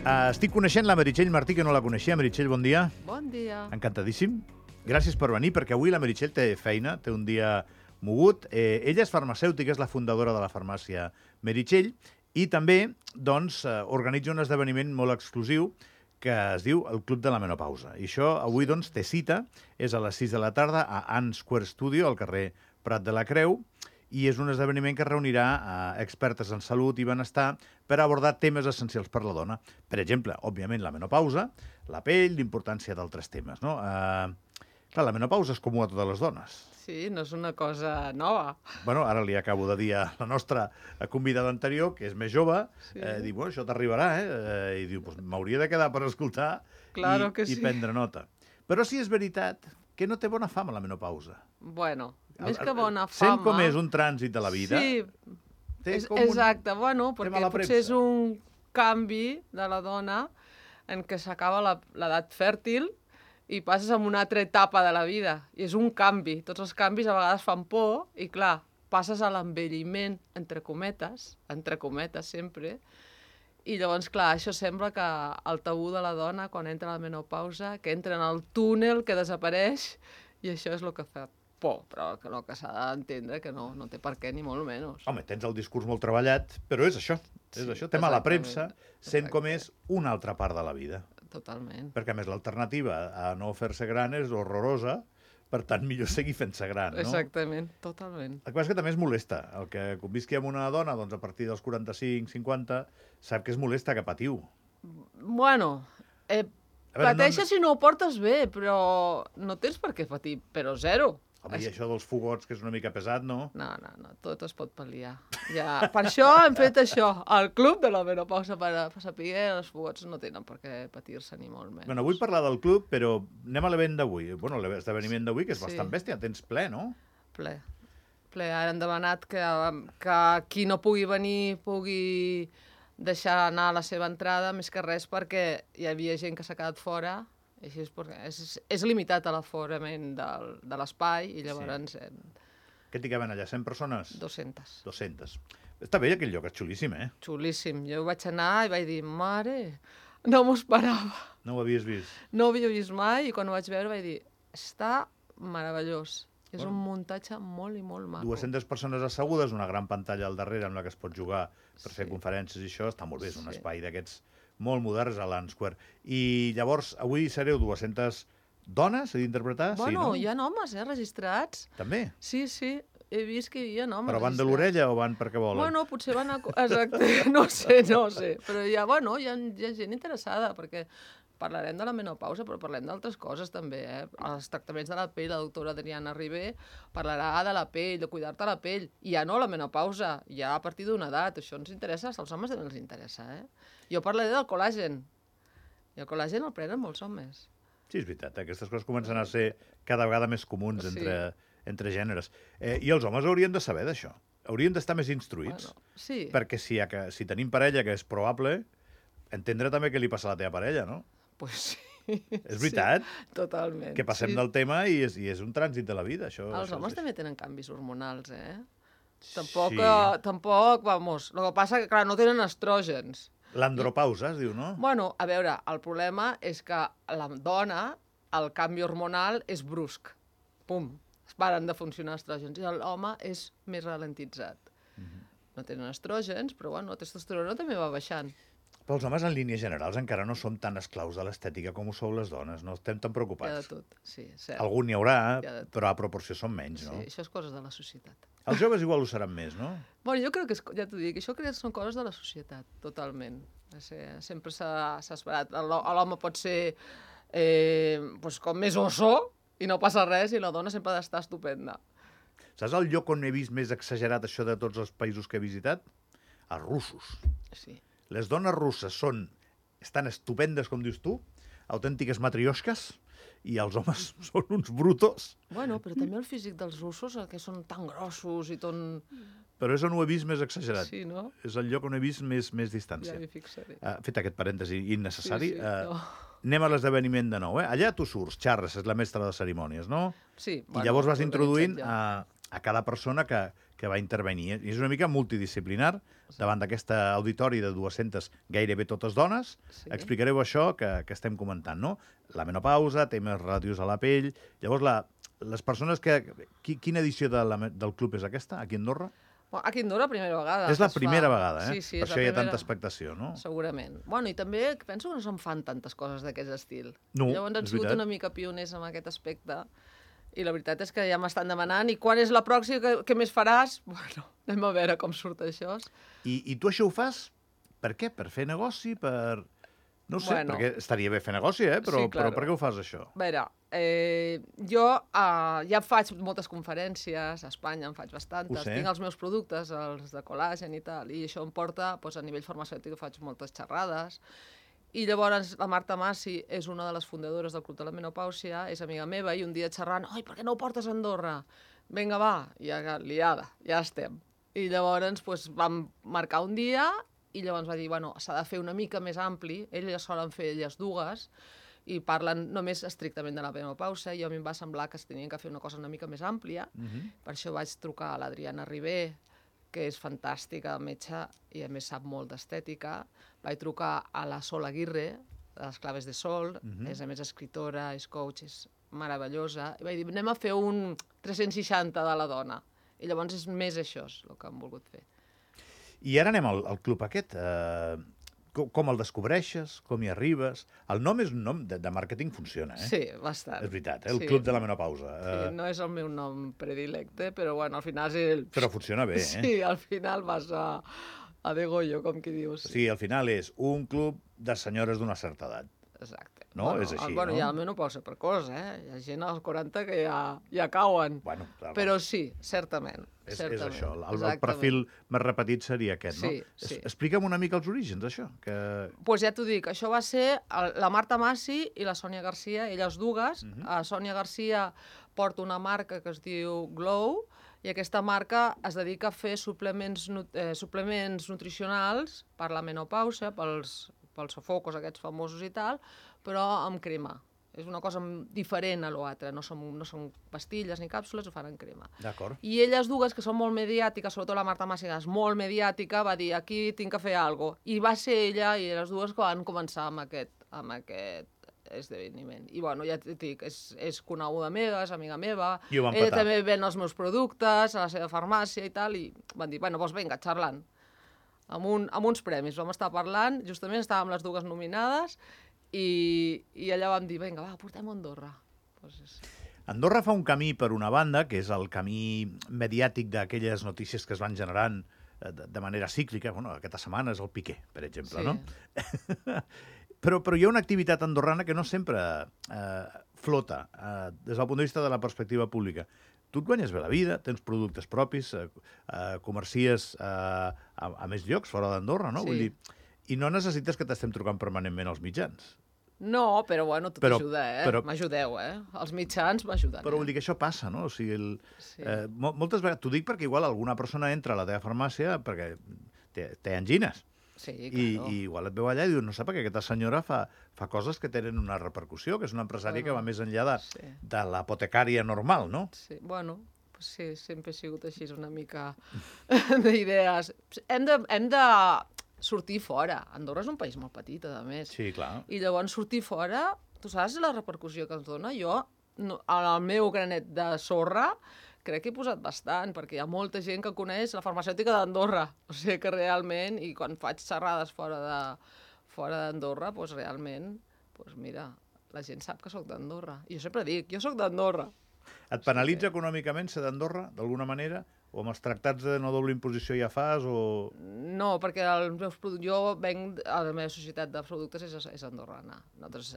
Estic coneixent la Meritxell Martí, que no la coneixia. Meritxell, bon dia. Bon dia. Encantadíssim. Gràcies per venir, perquè avui la Meritxell té feina, té un dia mogut. Ella és farmacèutica, és la fundadora de la farmàcia Meritxell, i també doncs, organitza un esdeveniment molt exclusiu que es diu el Club de la Menopausa. I això avui doncs, té cita, és a les 6 de la tarda a Ann Square Studio, al carrer Prat de la Creu, i és un esdeveniment que reunirà expertes en salut i benestar per abordar temes essencials per la dona. Per exemple, òbviament, la menopausa, la pell, l'importància d'altres temes. No? Clar, la menopausa és comú a totes les dones. Sí, no és una cosa nova. Bueno, ara li acabo de dir a la nostra convidada anterior, que és més jove, diu, bueno, això t'arribarà, I diu, pues, m'hauria de quedar per escoltar Claro que sí. I prendre nota. Però sí és veritat que no té bona fama la menopausa. Bueno, més que bona fama... Sent com és un trànsit de la vida... Sí, exacte. Bueno, perquè potser és un canvi de la dona en què s'acaba l'edat fèrtil i passes a una altra etapa de la vida. I és un canvi. Tots els canvis a vegades fan por i, clar, passes a l'envelliment, entre cometes sempre, i llavors, clar, això sembla que el tabú de la dona, quan entra a la menopausa, que entra en el túnel, que desapareix, i això és el que fa por, però el que s'ha d'entendre que no té per què, ni molt menys. Home, tens el discurs molt treballat, però és això. És això. Tema a la premsa, sent com és una altra part de la vida. Totalment. Perquè, a més, l'alternativa a no fer-se gran és horrorosa, per tant, millor seguir fent-se gran, no? Exactament, totalment. El que passa és que també es molesta. El que convisqui amb una dona, doncs, a partir dels 45-50, sap que es molesta, que patiu. Bueno, pateixes si no ho portes bé, però no tens per què patir, però zero. Home, i això dels fogots, que és una mica pesat, no? No, tot es pot pal·liar. Ja, per això hem fet això, el club de la menopausa, per saber que els fogots no tenen per què patir-se ni molt menys. Bueno, vull parlar del club, però anem a l'event d'avui. Bueno, l'esdeveniment d'avui, que és bastant bèstia, tens ple, no? Ple. Ara hem demanat que qui no pugui venir pugui deixar anar la seva entrada, més que res perquè hi havia gent que s'ha quedat fora. Així és limitat a l'aforament de l'espai i llavors... Què t'hi caben allà, 100 persones? 200. 200. Està bé aquell lloc, és xulíssim, Xulíssim. Jo vaig anar i vaig dir, mare, no m'ho esperava. No ho havies vist? No ho havia vist mai i quan ho vaig veure vaig dir, està meravellós. És un muntatge molt i molt maco. 200 persones assegudes, una gran pantalla al darrere amb la que es pot jugar per fer conferències i això, està molt bé, és un espai d'aquests molt moderns a l'Ann Square. I llavors, avui sereu 200 dones a d'interpretar? Bueno, hi ha homes, registrats. També? Sí, he vist que hi ha homes. Però van de l'orella o van perquè volen? Bueno, potser van a... Exacte, no sé. Però hi ha gent interessada, perquè parlarem de la menopausa, però parlem d'altres coses també, Els tractaments de la pell, la doctora Adriana Ribé parlarà de la pell, de cuidar-te la pell. I ja no la menopausa, ja a partir d'una edat. Això ens interessa, als homes també els interessa, Jo parlaré del col·làgen. I el col·làgen el prenen molts homes. Sí, és veritat, aquestes coses comencen a ser cada vegada més comuns entre gèneres. I els homes haurien de saber d'això. Haurien d'estar més instruïts. Sí. Perquè si tenim parella, que és probable, entendre també què li passa a la teva parella, no? Pues sí. És veritat? Totalment. Que passem del tema i és un trànsit de la vida, això. Els homes també tenen canvis hormonals, Tampoc, vamos, el que passa que, clar, no tenen estrògens. L'andropausa, es diu, no? Bueno, a veure, el problema és que la dona, el canvi hormonal és brusc. Pum, es paren de funcionar estrògens. I l'home és més ralentitzat. No tenen estrògens, però bueno, la testosterona també va baixant. Però els homes, en línies generals, encara no som tan esclaus de l'estètica com ho sou les dones. No estem tan preocupats. Hi ha de tot, sí, cert. Algun n'hi haurà, però a proporció són menys, no? Sí, això és coses de la societat. Els joves igual ho seran més, no? Bueno, jo crec que, ja t'ho dic, això crec que són coses de la societat, totalment. Sempre s'ha esperat. L'home pot ser com més oso i no passa res, i la dona sempre ha d'estar estupenda. Saps el lloc on he vist més exagerat això de tots els països que he visitat? Els russos. Sí. Les dones russes estan estupendes, com dius tu, autèntiques matriosques, i els homes són uns brutos. Bueno, però també el físic dels russos, que són tan grossos i tan... Però és on ho he vist més exagerat. Sí, no? És el lloc on he vist més distància. Ja m'hi fixaré. Fet aquest parèntesi innecessari, no. Anem a l'esdeveniment de nou. Allà tu surts, xarres, és la mestra de cerimònies, no? Sí. I llavors vas introduint a cada persona que que va intervenir. I és una mica multidisciplinar, davant d'aquest auditori de 200, gairebé totes dones. Explicareu això que estem comentant, no? La menopausa, temes relatius a la pell... Llavors, les persones que... Quina edició del club és aquesta, aquí a Andorra? Aquí a Andorra, primera vegada. És la primera vegada, eh? Sí, per això hi ha tanta expectació, no? Segurament. Bueno, i també penso que no se'n fan tantes coses d'aquest estil. No, llavors han sigut una mica pioners en aquest aspecte. I la veritat és que ja m'estan demanant i quan és la pròxima, què més faràs? Bueno, anem a veure com surt això. I tu això ho fas per què? Per fer negoci? Per... No sé, perquè estaria bé fer negoci, però per què ho fas, això? A veure, jo ja faig moltes conferències, a Espanya en faig bastantes, tinc els meus productes, els de col·làgen i tal, i això em porta, a nivell farmacèutic, faig moltes xerrades, i llavors la Marta Massi és una de les fundadores del Club de la Menopàusia, és amiga meva, i un dia xerrant, oi, per què no ho portes a Andorra? Vinga, va, ja liada, ja estem. I llavors vam marcar un dia, i llavors va dir, bueno, s'ha de fer una mica més ampli, elles solen fer elles dues, i parlen només estrictament de la menopausa, i a mi em va semblar que es tenien que fer una cosa una mica més àmplia, per això vaig trucar a l'Adriana Ribé, que és fantàstica, metge, i a més sap molt d'estètica, vaig trucar a la Sol Aguirre, de les Claves de Sol, és a més escritora, és coach, és meravellosa, i vaig dir, anem a fer un 360 de la dona, i llavors és més això el que han volgut fer. I ara anem al club aquest. Com el descobreixes? Com hi arribes? El nom és un nom de màrqueting, funciona, eh? Sí, bastant. És veritat, el Club de la Menopausa. Sí, no és el meu nom predilecte, però bueno, al final és el... Però funciona bé, eh? Sí, al final vas a degollo, com qui dius. Sí, al final és un club de senyores d'una certa edat. Exacte. No? És així, no? Hi ha la menopausa precoç, eh? Hi ha gent als 40 que ja cauen. Bueno, però sí, certament. És això, el perfil més repetit seria aquest, no? Sí. Explica'm una mica els orígens d'això. Doncs ja t'ho dic, això va ser la Marta Massi i la Sònia Garcia, elles dues. Sònia Garcia porta una marca que es diu Glow, i aquesta marca es dedica a fer suplements nutricionals per la menopausa, pels sofocos aquests famosos i tal, però amb crema. És una cosa diferent a l'altre, no són pastilles ni càpsules, ho fan en crema. D'acord. I elles dues, que són molt mediàtiques, sobretot la Marta Massi, és molt mediàtica, va dir, aquí tinc que fer alguna cosa. I va ser ella i les dues que van començar amb aquest esdeveniment. I bueno, ja et dic, és coneguda meva, és amiga meva, ella també ven els meus productes a la seva farmàcia i tal, i van dir, bueno, doncs vinga, xerrant. Amb uns premis, vam estar parlant, justament estàvem les dues nominades, i allà vam dir, vinga, va, portem a Andorra. Andorra fa un camí, per una banda, que és el camí mediàtic d'aquelles notícies que es van generant de manera cíclica. Bueno, aquesta setmana és el Piqué, per exemple, no? Però hi ha una activitat andorrana que no sempre flota des del punt de vista de la perspectiva pública. Tu et guanyes bé la vida, tens productes propis, comercies a més llocs fora d'Andorra, no? Vull dir, i no necessites que t'estem trucant permanentment als mitjans. No, però bueno, tot ajuda, eh? M'ajudeu, eh? Els mitjans m'ajuden. Però vull dir que això passa, no? O sigui, moltes vegades, t'ho dic perquè igual alguna persona entra a la teva farmàcia perquè té angines. Sí, claro. I igual et veu allà i diu, no sé, perquè aquesta senyora fa coses que tenen una repercussió, que és una empresària que va més enllà de l'apotecària normal, no? Sí, bueno, sí, sempre he sigut així, una mica d'idees. Hem de sortir fora. Andorra és un país molt petit, a més. Sí, clar. I llavors sortir fora, tu saps la repercussió que ens dona? Jo, al meu granet de sorra, crec que he posat bastant, perquè hi ha molta gent que coneix la farmacèutica d'Andorra. O sigui que realment, i quan faig xerrades fora d'Andorra, doncs realment, mira, la gent sap que soc d'Andorra. I jo sempre dic, jo soc d'Andorra. Et penalitza econòmicament ser d'Andorra, d'alguna manera? O amb els tractats de no doble imposició ja fas, o...? No, perquè jo venc, la meva societat de productes és andorrana. Nosaltres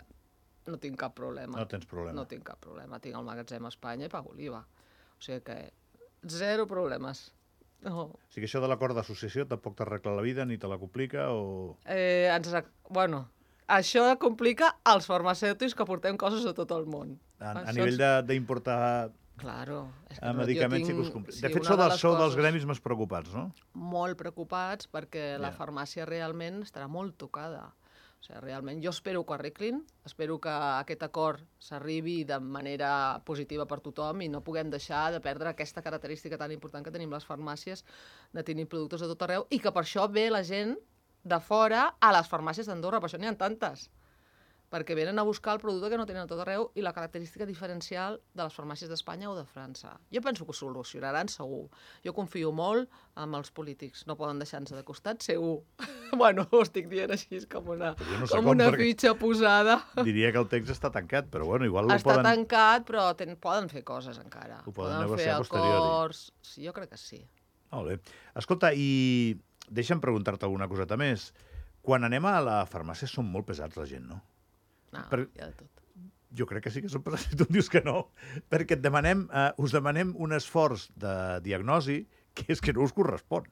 no tinc cap problema. No tens problema. No tinc cap problema. Tinc el magatzem a Espanya i pago l'IVA. O sigui que zero problemes. No. O sigui que això de l'acord d'associació tampoc t'arregla la vida, ni te la complica, o...? Bueno, això complica als farmacèutics que portem coses de tot el món. A nivell d'importar... Claro. Medicaments sí que us complica. De fet, sou dels gremis més preocupats, no? Molt preocupats, perquè la farmàcia realment estarà molt tocada. O O sigui, realment, jo espero que ho arreglin, espero que aquest acord s'arribi de manera positiva per tothom i no puguem deixar de perdre aquesta característica tan important que tenim les farmàcies, de tenir productes de tot arreu, i que per això ve la gent de fora a les farmàcies d'Andorra, per això n'hi ha tantes, perquè venen a buscar el producte que no tenen a tot arreu i la característica diferencial de les farmàcies d'Espanya o de França. Jo penso que ho solucionaran segur. Jo confio molt en els polítics. No poden deixar-nos de costat, segur. Bueno, ho estic dient així, com una fitxa posada. Diria que el text està tancat, però bueno, igual està tancat, però poden fer coses encara. Ho poden negociar a posteriori. Sí, jo crec que sí. Molt bé. Escolta, i deixa'm preguntar-te alguna coseta més. Quan anem a la farmàcia són molt pesats la gent, no? No, hi ha de tot. Jo crec que sí que són pesats, si tu em dius que no, perquè us demanem un esforç de diagnosi que és que no us correspon.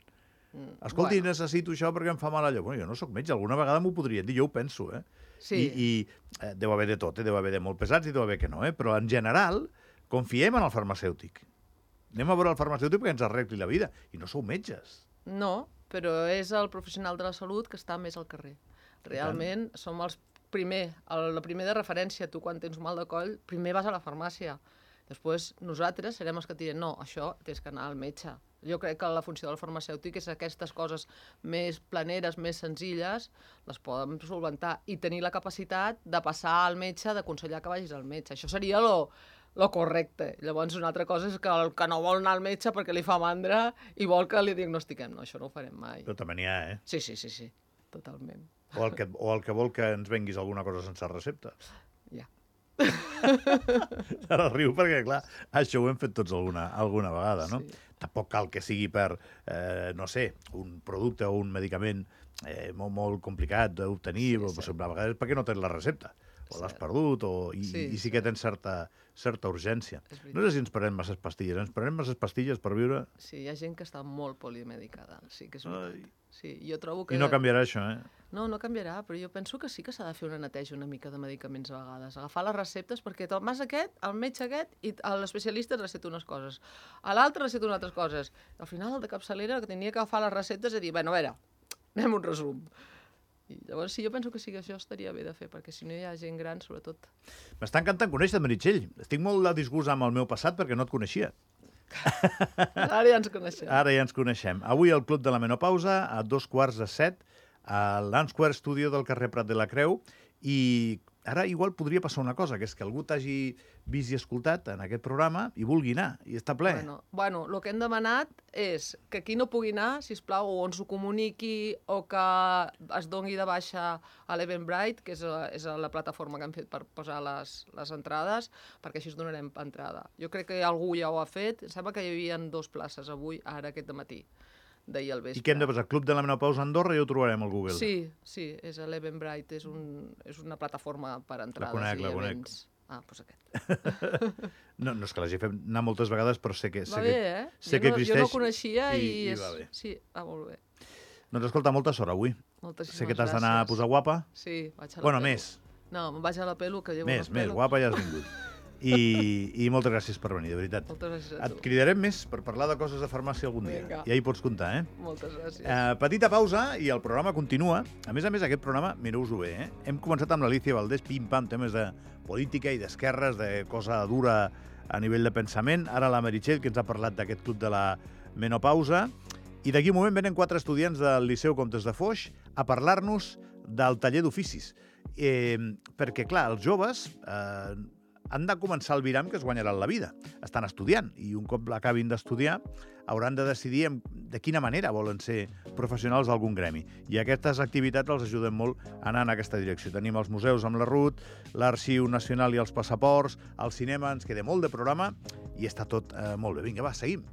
Escolti, necessito això perquè em fa mal allò. Bueno, jo no sóc metge, alguna vegada m'ho podrien dir, jo ho penso, eh? Sí. I deu haver de tot, deu haver de molt pesats i deu haver que no, però en general confiem en el farmacèutic. Anem a veure el farmacèutic perquè ens arregli la vida. I no sou metges. No, però és el professional de la salut que està més al carrer. Realment som el primer de referència. Tu, quan tens mal de coll, primer vas a la farmàcia. Després, nosaltres serem els que et direm no, això tens que anar al metge. Jo crec que la funció del farmacèutic és aquestes coses més planeres, més senzilles, les poden solventar i tenir la capacitat de passar al metge, d'aconsellar que vagis al metge. Això seria lo correcte. Llavors, una altra cosa és que el que no vol anar al metge perquè li fa mandra i vol que li diagnostiquem. No, això no ho farem mai. Però també n'hi ha, eh? Sí, totalment. O el que vol que ens venguis alguna cosa sense recepta. Ja. Ara riu perquè, clar, això ho hem fet tots alguna vegada, no? Sí. Tampoc cal que sigui per, no sé, un producte o un medicament molt complicat d'obtenir, sí. A vegades perquè no tens la recepta, o l'has perdut, i sí que tens certa urgència. No sé si ens prenem masses pastilles. Ens prenem masses pastilles per viure? Sí, hi ha gent que està molt polimedicada, sí que és veritat. Sí, jo trobo que... I no canviarà això, eh? No canviarà, però jo penso que sí que s'ha de fer una neteja una mica de medicaments a vegades. Agafar les receptes, perquè el metge aquest, i l'especialista et receta unes coses. A l'altre receta unes altres coses. Al final, el de capçalera, que tenia que agafar les receptes i dir, bueno, a veure, anem un resum. I llavors sí, jo penso que sí que això estaria bé de fer, perquè si no hi ha gent gran, sobretot... M'està encantant conèixer, Meritxell. Estic molt de disgust amb el meu passat perquè no et coneixia. Ara ja ens coneixem. Avui al Club de la Menopausa, a 6:45, a l'Ansquare Studio del carrer Prat de la Creu, i ara igual podria passar una cosa, que és que algú t'hagi vist i escoltat en aquest programa i vulgui anar, i està ple. Bueno, el que hem demanat és que qui no pugui anar, sisplau, o ens ho comuniqui o que es doni de baixa a l'Eventbrite, que és la plataforma que hem fet per posar les entrades, perquè així us donarem entrada. Jo crec que algú ja ho ha fet. Em sembla que hi havia 2 places avui, ara aquest matí. D'ahir al vespre. I què hem de posar? Club de la Menopausa Andorra, ja ho trobarem al Google. Sí, és a l'Eventbrite, és una plataforma per entrades i events. Ah, doncs aquest. No és que l'hagi fet anar moltes vegades, però sé que existeix. Jo no ho coneixia i va bé. Sí, va molt bé. Doncs escolta, molta sort avui. Moltíssimes sé que t'has d'anar a posar guapa. Sí, vaig a la pelo. Bueno, més. No, me'n vaig a la pelo, que llevo més, guapa ja has vingut. I moltes gràcies per venir, de veritat. Moltes gràcies a tu. Et cridarem més per parlar de coses de farmàcia algun dia. Ja hi pots comptar, eh? Moltes gràcies. Petita pausa i el programa continua. A més, aquest programa, mireu-vos-ho bé, eh? Hem començat amb l'Alicia Valdés, pim-pam, temes de política i d'esquerres, de cosa dura a nivell de pensament. Ara la Meritxell, que ens ha parlat d'aquest club de la menopausa. I d'aquí un moment venen 4 estudiants del Liceu Comtes de Foix a parlar-nos del taller d'oficis. Perquè, clar, els joves han de començar el viram que es guanyaran la vida. Estan estudiant i un cop l'acabin d'estudiar hauran de decidir de quina manera volen ser professionals d'algun gremi. I aquestes activitats els ajuden molt a anar en aquesta direcció. Tenim els museus amb la RUT, l'Arxiu Nacional i els passaports, el cinema, ens queda molt de programa i està tot molt bé. Vinga, va, seguim.